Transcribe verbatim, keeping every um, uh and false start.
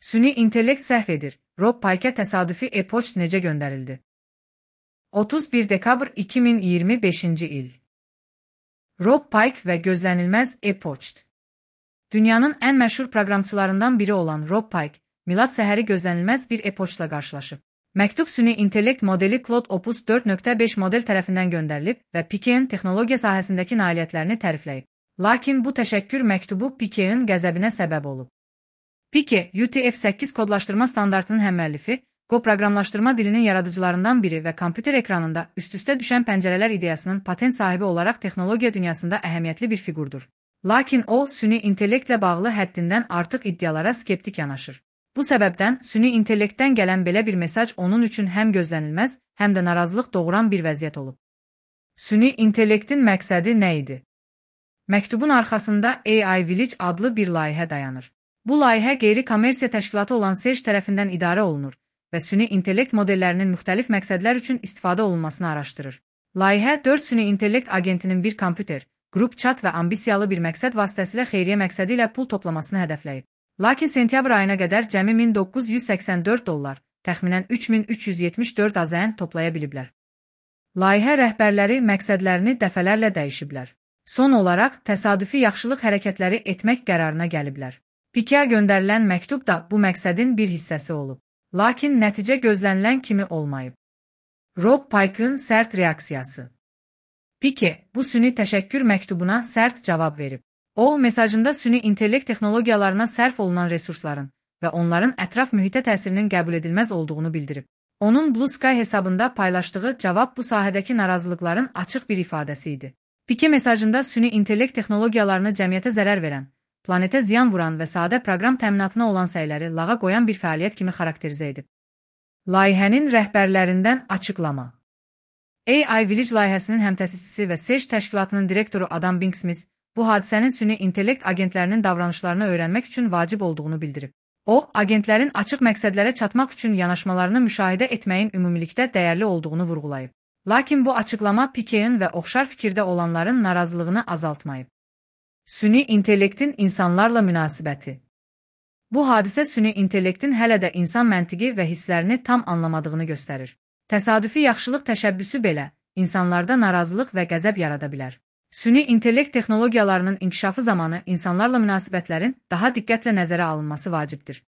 Süni intellekt səhv edir. Rob Pike'ə təsadüfi e-poçt necə göndərildi? otuz bir dekabr iki min iyirmi beşinci il. Rob Pike və gözlənilməz e-poçt. Dünyanın ən məşhur proqramçılarından biri olan Rob Pike, milad səhəri gözlənilməz bir e-poçtla qarşılaşıb. Məktub süni intellekt modeli Claude Opus dörd nöqtə beş model tərəfindən göndərilib və Pike'in texnologiya sahəsindəki nailiyyətlərini tərifləyib. Lakin bu təşəkkür məktubu Pike'in qəzəbinə səbəb olub. Pike, U T F səkkiz kodlaşdırma standartının həməllifi, Go proqramlaşdırma dilinin yaradıcılarından biri və kompüter ekranında üst-üstə düşən pəncərələr ideyasının patent sahibi olaraq texnologiya dünyasında əhəmiyyətli bir fiqurdur. Lakin o, süni intellektlə bağlı həddindən artıq iddialara skeptik yanaşır. Bu səbəbdən süni intellektdən gələn belə bir mesaj onun üçün həm gözlənilməz, həm də narazılıq doğuran bir vəziyyət olub. Süni intellektin məqsədi nə idi? Məktubun arxasında A I Village adlı bir layihə dayanır. Bu layihə qeyri-kommersiya təşkilatı olan Serge tərəfindən idarə olunur və süni intellekt modellərinin müxtəlif məqsədlər üçün istifadə olunmasını araşdırır. Layihə dörd süni intellekt agentinin bir kompüter, qrup chat və ambisiyalı bir məqsəd vasitəsilə xeyriyyə məqsədi ilə pul toplamasını hədəfləyib. Lakin sentyabr ayına qədər cəmi min doqquz yüz səksən dörd dollar, təxminən üç min üç yüz yetmiş dörd A Z N toplaya biliblər. Layihə rəhbərləri məqsədlərini dəfələrlə dəyişiblər. Son olaraq təsadüfi yaxşılıq hərəkətləri etmək qərarına gəliblər. Pike'ə göndərilən məktub da bu məqsədin bir hissəsi olub. Lakin nəticə gözlənilən kimi olmayıb. Rob Pike'ın sərt reaksiyası. Pike, bu süni təşəkkür məktubuna sərt cavab verib. O, mesajında süni intellekt texnologiyalarına sərf olunan resursların və onların ətraf mühitə təsirinin qəbul edilməz olduğunu bildirib. Onun Blue Sky hesabında paylaşdığı cavab bu sahədəki narazılıqların açıq bir ifadəsi idi. Pike mesajında süni intellekt texnologiyalarını cəmiyyətə zərər verən, planetə ziyan vuran və sadə proqram təminatına olan səyləri lağa qoyan bir fəaliyyət kimi xarakterizə edib. Layihənin rəhbərlərindən açıqlama. A I Village layihəsinin həmtəsisçisi və Serge təşkilatının direktoru Adam Binksmith bu hadisənin süni intellekt agentlərinin davranışlarını öyrənmək üçün vacib olduğunu bildirib. O, agentlərin açıq məqsədlərə çatmaq üçün yanaşmalarını müşahidə etməyin ümumilikdə dəyərli olduğunu vurğulayıb. Lakin bu açıqlama Pike'in və oxşar fikirdə olanların narazılığını azaltmayıb. Süni intellektin insanlarla münasibəti. Bu hadisə süni intellektin hələ də insan məntiqi və hisslərini tam anlamadığını göstərir. Təsadüfi yaxşılıq təşəbbüsü belə insanlarda narazılıq və qəzəb yarada bilər. Süni intellekt texnologiyalarının inkişafı zamanı insanlarla münasibətlərin daha diqqətlə nəzərə alınması vacibdir.